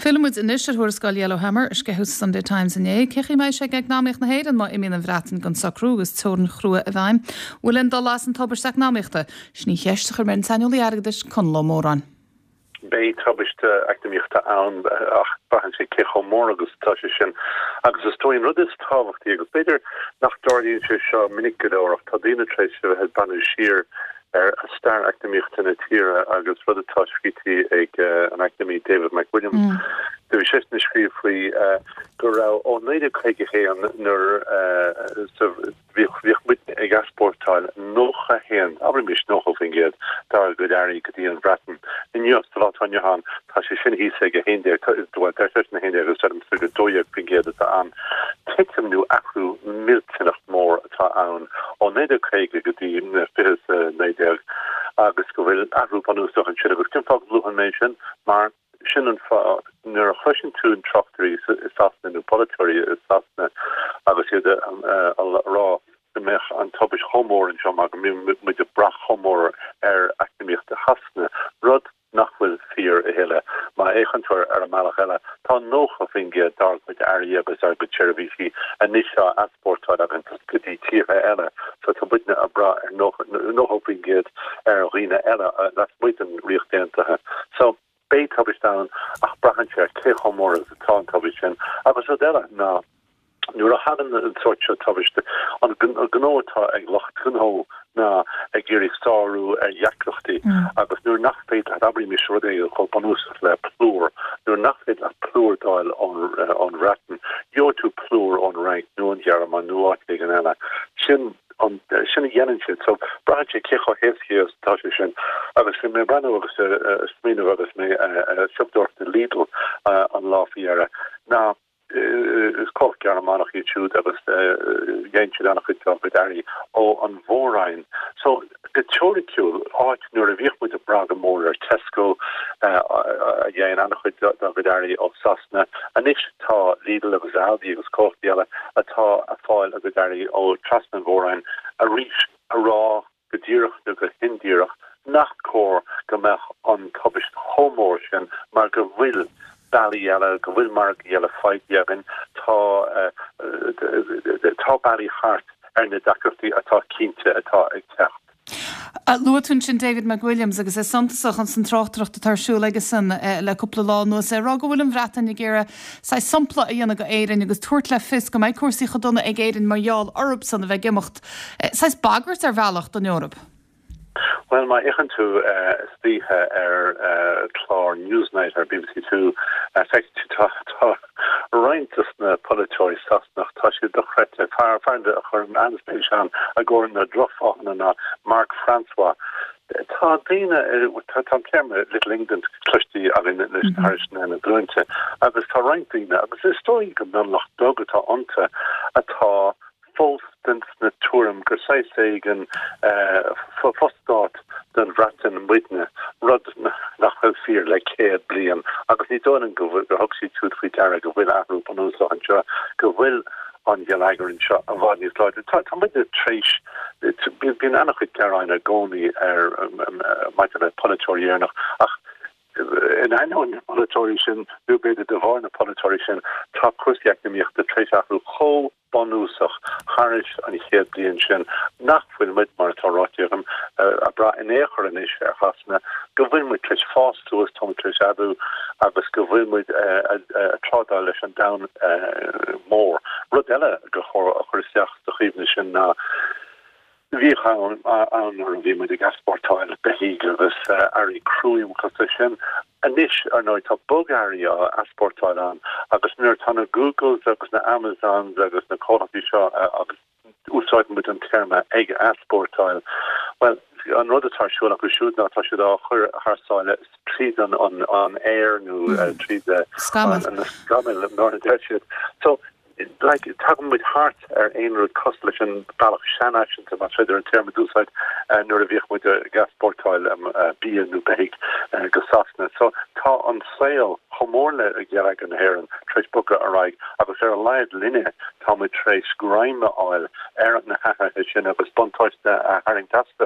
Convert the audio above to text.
Fillfidh muid anois ar thuarascáil Yellowhammer, a sceitheadh sa Sunday Times inné. Cén chaoi a mbeidh sé ag eacnamaíocht na hÉireann má imíonn an Bhreatain gan socrú agus teorainn chrua i bhfeidhm? Bhfuil aon dul as an tubaiste eacnamaíochta? Sin í an cheist a chuir mé ar an saineolaí airgeadais, Conall Ó Móráin. Beidh tubaiste eacnamaíochta ann ach braitheann sé cé chomh mór agus atá sé sin. Agus is dóigh an rud is tábhachtaí, agus b'fhéidir nach dtarlaíonn sé seo minic go leor ach tá daoine tar éis a bheith ag breathnú siar ar stair eacnamaíochta na tíre agus rud atá scríte ag an eacnamaí David McWilliams, do bhí seisean ag scríobh faoi go raibh ó 1951 nuair sa Bhíodh, bhíodh muidne ag easpórtáil 91, abraimis 90% dár gcuid earraí go dtí an Bhreatain. Inniu, sa lá atá inniu ann, tá sé sin thíos ag 11, bhuel, deir seisean 11 agus deirimse gur 12% atá ann. Titim nó athrú millteanach mór atá ann ó 1950 go dtí 2019 agus go bhfuil athrú bunúsach ansin agus cén fáth go luann mé sin? Mar Sin an fáth, nuair a chloiseann tú tráchtairí i Sasana nó polaiteoirí i Sasana agus iad a rá go mbeadh an tubaist chomh mór anseo mar go mbíonn muid ag brath chomh mór ar eacnamaíocht Shasana, rud nach bhfuil fíor a thuilleadh. Má fhéachann tú ar an mbealach eile, tá 90% dár gcuid earraí agus dár gcuid seirbhísí anois á easpórtáil againn go dtí tíortha eile, so tá muidne ag brath ar 90% ar dhaoine eile lasmuigh den Ríocht Aontaithe. So, beidh tubaist ann ach braitheann sé ar cé chomh mór is atá an tubaist sin. Agus rud eile ná nuair a thagann an sórt seo tubaiste, an gnó atá ag lucht gnó ná ag iarraidh sárú ar dheacrachtaí agus nuair nach féidir leat, abraimis rud éigin chomh bunúsach le plúr, nuair nach féidir leat plúr d'fháil ón Bhreatain, gheobhaidh tú plúr ón Fhrainc nó ón Ghearmáin nó áit éigin eile. Sin an, sin a dhéanann siad. So, braitheann sé cé chomh héasca is atá sé sin. Agus bhí mé ag breathnú agus ag smaoineamh agus mé ag siopadóireacht i Lidl an lá faoi dheireadh, ná is comhlacht Gearmánach iad siúd agus dhéanann siad an-chuid dá gcuid earraí ó an Mhór-Roinn. So, go teoiriciúil, áit nuair a bhíodh muid ag brath go mór ar Tesco a dhéanann an-chuid dá gcuid earraí ó Sasana, anois tá Lidl agus Aldi agus comhlachtaí eile atá ag fáil a gcuid earraí ó trasna an Mhór-Roinn arís a rá go díreach nó go hindíreach nach cóir go mbeadh an tubaist chomh mór sin mar go bhfuil bealaí eile, go bhfuil margaí eile faighte againn, tá tá bealaí thart ar na deacrachtaí atá cinnte atá ag teacht. Luaigh tú ansin David McWilliams agus é suntasach ins an tráchtaireacht atá ar siúl aigesan le cúpla lá anuas, é ag rá go bhfuil an Bhreatain ag iarraidh saghas sampla a dhéanamh go Éirinn agus tabhairt le fios go mbeidh cúrsaí chomh dona ag Éirinn mar gheall orthubsan a bheith ag imeacht. Saghas bagairt ar bhealach don Eoraip. Bhuel, má fhéachann tú istoíche ar chlár Newsnight ar bbc Two, feicfidh tú tá roinnt dos na polaiteoirí Sasanach, tá siad dochreidte. Fear a chuirim an-spéis ann i gcomhair na drochfháthanna ná Mark Francois. Tá daoine, tá an téarma Little England cloiste againn anois thar na glúinte agus tá roinnt daoine, agus is dóigh go mionlach beag atá iontu, atá fós den tuairim gur saghas éigin fo-stát den Bhreatain muidne, rud nach bhfuil fíor le 100 bliain, agus ní dóigh liom gur thug siad siúd faoi deara go bhfuil athrú bunúsach anseo, go bhfuil an geilleagar anseo i bhfad níos láidre. Tá muidne tar éis, bíonn an-chuid gearáin i gcónaí ar maidir le polaiteoirí Éireannach, ach in ainneoin na bpolaiteoirí sin, nó b'fhéidir de bharr na polaiteoirí sin, tá cúrsaí eacnamaíochta tar éis athrú chomh bunúsach thairis an chéad bliain sin nach bhfuil muid, mar atá ráite agam, ag brath in aon chor anois ar Shasana, go bhfuil muid tar éis fás suas, tá muid tar éis aibiú agus go bhfuil muid ag trádáil leis an domhan mór. Rud eile gur chóir a chur isteach sa chuimhne sin ná, Bhíodh am ann nuair a bhí muid ag easpórtáil beithígh agus earraí cruim cosúil leis sin. Anois, ar ndóigh, tá bogearraí á easpórtáil ann agus nuair atá na Googles agus na Amazons agus na comhlachtaí seo, agus úsáideann muid an téarma ag easpórtáil, bhuel, an rud atá ar siúl acu siúd ná tá siad á chur thar sáile tríd an aer nó tríd na scamaill, mar a deir siad. So, like, tagann muid thart ar aon rud cosúil leis an bealach seanfhaiseanta, más féidir an téarma d'úsáid, nuair a bhíodh muid ag easpórtáil bia nó beithígh go Sasana. So, tá an saol, chomh mór le geilleagar na hÉireann, tar éis bogadh ar aghaidh agus ar a laghad linne, tá muid tar éis greim a fháil ar na hathruithe sin agus buntáiste a tharraingt astu.